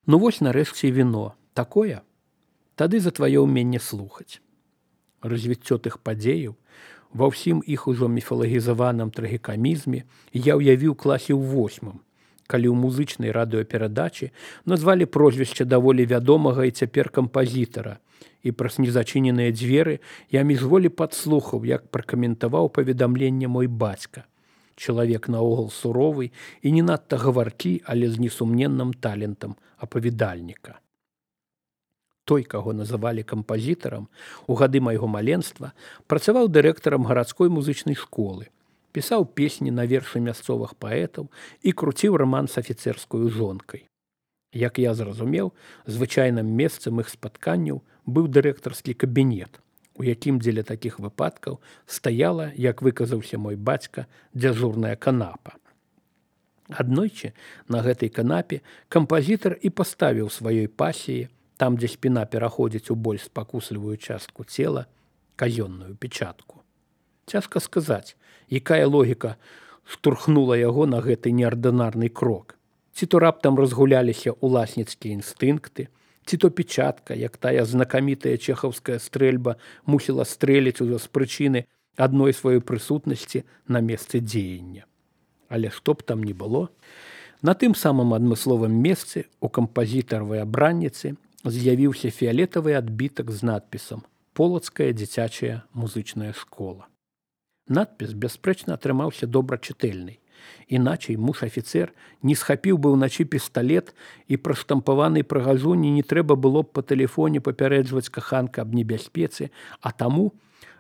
Ну вось нарэшце і віно. Такое? Тады за тваё ўменне слухаць. Развіццё тых падзеяў ва ўсім іх ужо міфалагізаваным трагікамізме я ўявіў класе ў 8, калі ў музычнай радыёперадачы назвалі прозвішча даволі вядомага і цяпер кампазітара, і праз незачыненыя дзверы я міжволі падслухаў, як пракаментаваў паведамленне мой бацька. Чалавек наогул суровы і не надта гаваркі, але з несумненным талентам апавядальніка. Той, каго называлі кампазітарам, у гады майго маленства працаваў дырэктарам гарадской музычнай школы, пісаў песні на вершы мясцовых паэтаў і круціў раман з афіцэрскую жонкай. Як я зразумеў, звычайным месцам іх спатканняў быў дырэктарскі кабінет, у якім дзеля такіх выпадкаў стаяла, як выказаўся мой бацька, дзяжурная канапа. Аднойчы на гэтай канапе кампазітар і паставіў сваёй пасіі, там, дзе спіна пераходзіць у больш спакуслівую частку цела, казённую печатку. Цяжка сказаць, якая логіка штурхнула яго на гэты неардынарны крок. Ці то раптам разгуляліся уласніцкія інстынкты, ці то печатка, як тая знакамітая чэхаўская стрэльба, мусіла стрэліць ужо з прычыны адной сваёй прысутнасці на месцы дзеяння. Але што б там ні было, на тым самым адмысловым месцы у кампазітаравай абранніцы з'явіўся фіялетавы адбітак з надпісам «Полацкая дзіцячая музычная школа». Надпіс, бясспрэчна, атрымаўся добрачытэльнай. Іначай муж-афіцэр не схапіў бы ўначы пісталет і пра штампаванай прыгажуні не трэба было б па тэлефоне папярэджваць каханка аб небяспецы, а таму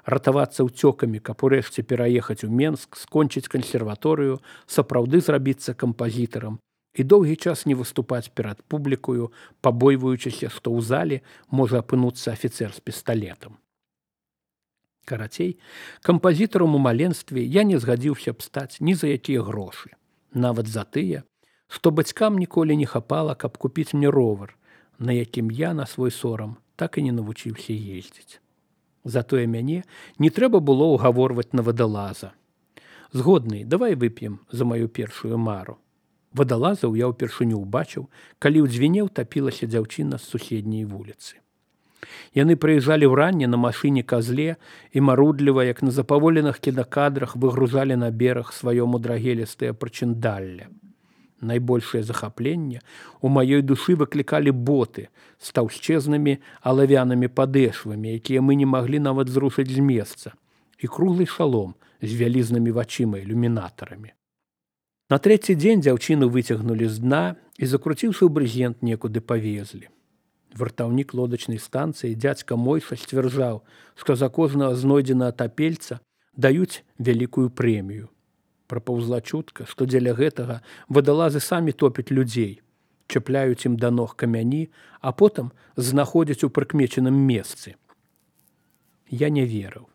ратавацца ўцёкамі, каб урэшце пераехаць у Менск, скончыць кансерваторыю, сапраўды зрабіцца кампазітарам і доўгі час не выступаць перад публікаю, пабойваючыся, што ў зале можа апынуцца афіцэр з пісталетам. Карацей, кампазітарам у маленстве я не згадзіўся б стаць ні за якія грошы. Нават за тыя, што бацькам ніколі не хапала, каб купіць мне ровар, на якім я на свой сорам так і не навучыўся ездзіць. Затое мяне не трэба было ўгаворваць на вадалаза. Згодны, давай вып'ем за маю першую мару. Вадалазаў я ўпершыню ўбачыў, калі ў дзвіне ўтапілася дзяўчына з суседняй вуліцы. Яны прыязджалі ўранне на машыне казле і марудліва, як на запаволеных кінакадрах, выгружалі на бераг сваё мудрагелістае прычындалле. Найбольшае захапленне у маёй душы выклікалі боты з таўсчэзнымі алавянымі падэшвамі, якія мы не маглі нават зрушыць з месца, і круглы шалом з вялізнымі вачыма ілюмінатарамі. На трэці дзень дзяўчыну выцягнулі з дна і, закруціўшы ў брызент, некуды павезлі. Вартаўнік лодачнай станцыі дзядзька Мойша сцвярджаў, што за кожнага знойдзенага тапельца даюць вялікую прэмію. Прапаўзла чутка, што дзеля гэтага вадалазы самі топяць людзей, чапляюць ім да ног камяні, а потым знаходзяць у прыкмечаным месцы. Я не верыў.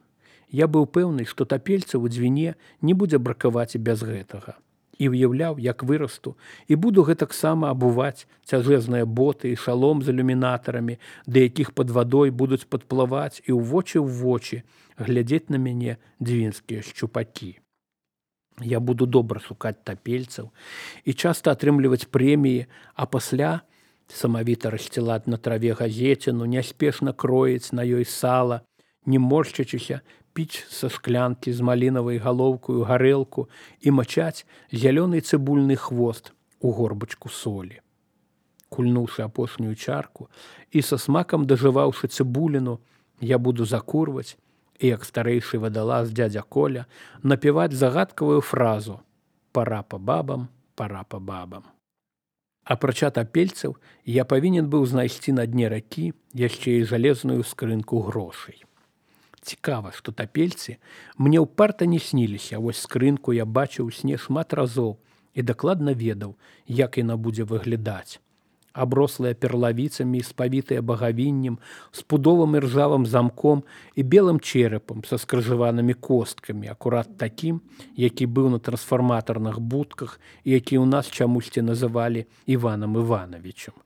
Я быў пэўны, што тапельцаў у дзвіне не будзе бракаваць і без гэтага. І ўяўляў, як вырасту, і буду гэтаксама абуваць цяжэзныя боты і шалом з ілюмінатарамі, да якіх пад вадой будуць падплываць і ў вочы глядзець на мяне дзвінскія шчупакі. Я буду добра шукаць тапельцаў і часта атрымліваць прэміі, а пасля самавіта рассцілаць на траве газеціну, няспешна кроіць на ёй сала, не моршчачыся, піць са шклянкі з малінавай галоўкаю гарэлку і мачаць зялёны цыбульны хвост у горбачку солі. Кульнуўшы апошнюю чарку і са смакам дажываўшы цыбуліну, я буду закурваць і, як старэйшы вадалаз дзядзя Коля, напяваць загадкавую фразу «Пара па бабам, пара па бабам». Апрача тапельцаў, я павінен быў знайсці на дне ракі яшчэ і жалезную скрынку грошай. Цікава, што тапельцы мне ўпарта не сніліся, вось скрынку я бачыў у сне шмат разоў і дакладна ведаў, як яна будзе выглядаць. Аброслая перлавіцамі і спавітая багавіннем, з пудовым і ржавым замком і белым черепам са скрыжаванымі косткамі, акурат такім, які быў на трансфарматарных будках і які ў нас чамусьці называлі Іванам Івановичем.